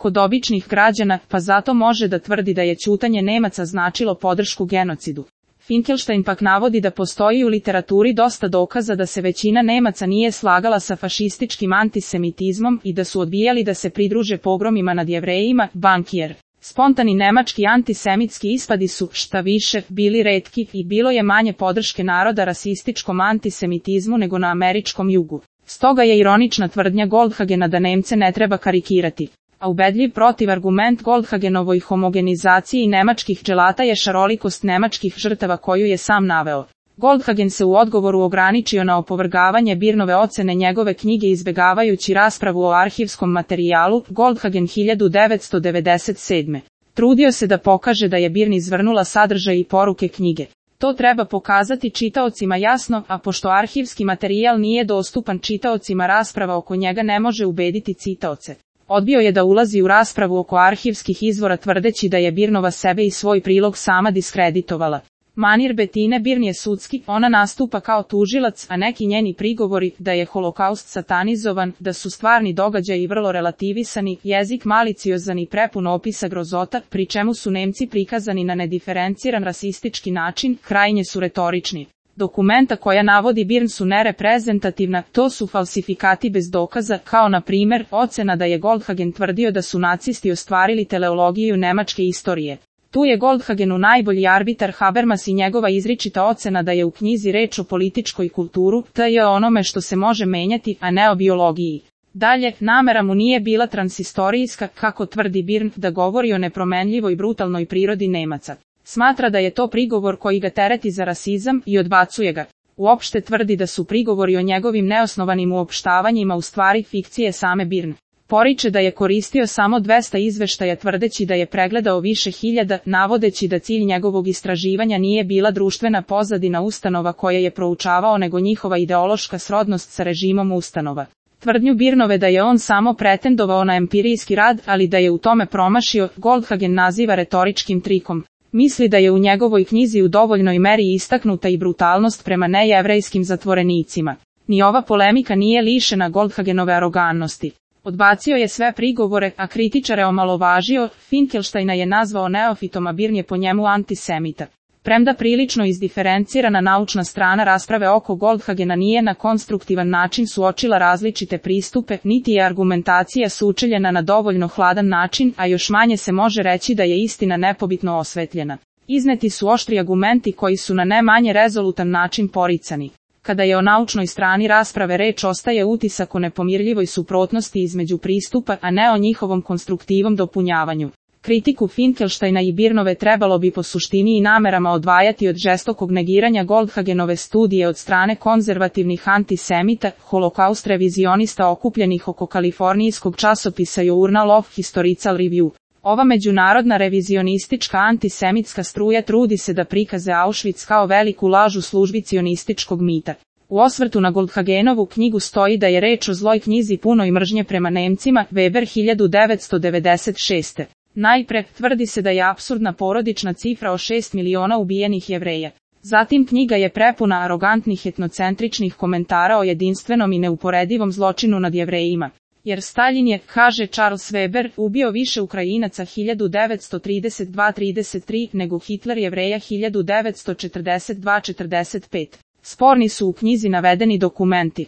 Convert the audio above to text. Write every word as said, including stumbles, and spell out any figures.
kod običnih građana, pa zato može da tvrdi da je ćutanje Nemaca značilo podršku genocidu. Finkelstein pak navodi da postoji u literaturi dosta dokaza da se većina Nemaca nije slagala sa fašističkim antisemitizmom i da su odbijali da se pridruže pogromima nad Jevrejima, Bankier. Spontani nemački antisemitski ispadi su, šta više, bili retki i bilo je manje podrške naroda rasističkom antisemitizmu nego na američkom jugu. Stoga je ironična tvrdnja Goldhagena da Nemce ne treba karikirati. A ubedljiv protivargument Goldhagenovoj homogenizaciji nemačkih dželata je šarolikost nemačkih žrtava koju je sam naveo. Goldhagen se u odgovoru ograničio na opovrgavanje Birnove ocene njegove knjige izbegavajući raspravu o arhivskom materijalu, Goldhagen hiljadu devetsto devedeset sedme. Trudio se da pokaže da je Birn izvrnula sadržaj i poruke knjige. To treba pokazati čitaocima jasno, a pošto arhivski materijal nije dostupan čitaocima, rasprava oko njega ne može ubediti čitaoce. Odbio je da ulazi u raspravu oko arhivskih izvora tvrdeći da je Birnova sebe i svoj prilog sama diskreditovala. Manir Betine Birn je sudski, ona nastupa kao tužilac, a neki njeni prigovori da je holokaust satanizovan, da su stvarni događaji vrlo relativisani, jezik maliciozan i prepun opisa grozota, pri čemu su Nemci prikazani na nediferenciran rasistički način, krajnje su retorični. Dokumenta koja navodi Birn su nereprezentativna, to su falsifikati bez dokaza, kao na primjer ocena da je Goldhagen tvrdio da su nacisti ostvarili teleologiju nemačke istorije. Tu je Goldhagenu najbolji arbitar Habermas i njegova izričita ocena da je u knjizi reč o političkoj kulturu, te je onome što se može menjati, a ne o biologiji. Dalje, namera mu nije bila transistorijska, kako tvrdi Birn, da govori o nepromenljivoj brutalnoj prirodi Nemaca. Smatra da je to prigovor koji ga tereti za rasizam i odbacuje ga. Uopšte tvrdi da su prigovori o njegovim neosnovanim uopštavanjima u stvari fikcije same Birn. Poriče da je koristio samo dvesta izveštaja tvrdeći da je pregledao više hiljada, navodeći da cilj njegovog istraživanja nije bila društvena pozadina ustanova koje je proučavao nego njihova ideološka srodnost sa režimom ustanova. Tvrdnju Birnove da je on samo pretendovao na empirijski rad, ali da je u tome promašio, Goldhagen naziva retoričkim trikom. Misli da je u njegovoj knjizi u dovoljnoj meri istaknuta i brutalnost prema nejevrejskim zatvorenicima. Ni ova polemika nije lišena Goldhagenove arogannosti. Odbacio je sve prigovore, a kritičare omalovažio, Finkelsteina je nazvao neofitom, a Birn je po njemu antisemita. Premda prilično izdiferencirana naučna strana rasprave oko Goldhagena nije na konstruktivan način suočila različite pristupe, niti je argumentacija sučeljena na dovoljno hladan način, a još manje se može reći da je istina nepobitno osvetljena. Izneti su oštri argumenti koji su na ne manje rezolutan način poricani. Kada je o naučnoj strani rasprave reč, ostaje utisak o nepomirljivoj suprotnosti između pristupa, a ne o njihovom konstruktivnom dopunjavanju. Kritiku Finkelsteina i Birnove trebalo bi po suštini i namerama odvajati od žestokog negiranja Goldhagenove studije od strane konzervativnih antisemita, holokaust revizionista okupljenih oko kalifornijskog časopisa Journal of Historical Review. Ova međunarodna revizionistička antisemitska struja trudi se da prikaze Auschwitz kao veliku laž u službi cionističkog mita. U osvrtu na Goldhagenovu knjigu stoji da je reč o zloj knjizi punoj mržnje prema Nemcima, Weber hiljadu devetsto devedeset šeste. Najpre, tvrdi se da je apsurdna porodična cifra o šest miliona ubijenih Jevreja. Zatim knjiga je prepuna arogantnih etnocentričnih komentara o jedinstvenom i neuporedivom zločinu nad Jevrejima. Jer Stalin je, kaže Charles Weber, ubio više Ukrajinaca hiljadu devetsto trideset dva trideset tri nego Hitler Jevreja hiljadu devetsto četrdeset dva četrdeset pet. Sporni su u knjizi navedeni dokumenti.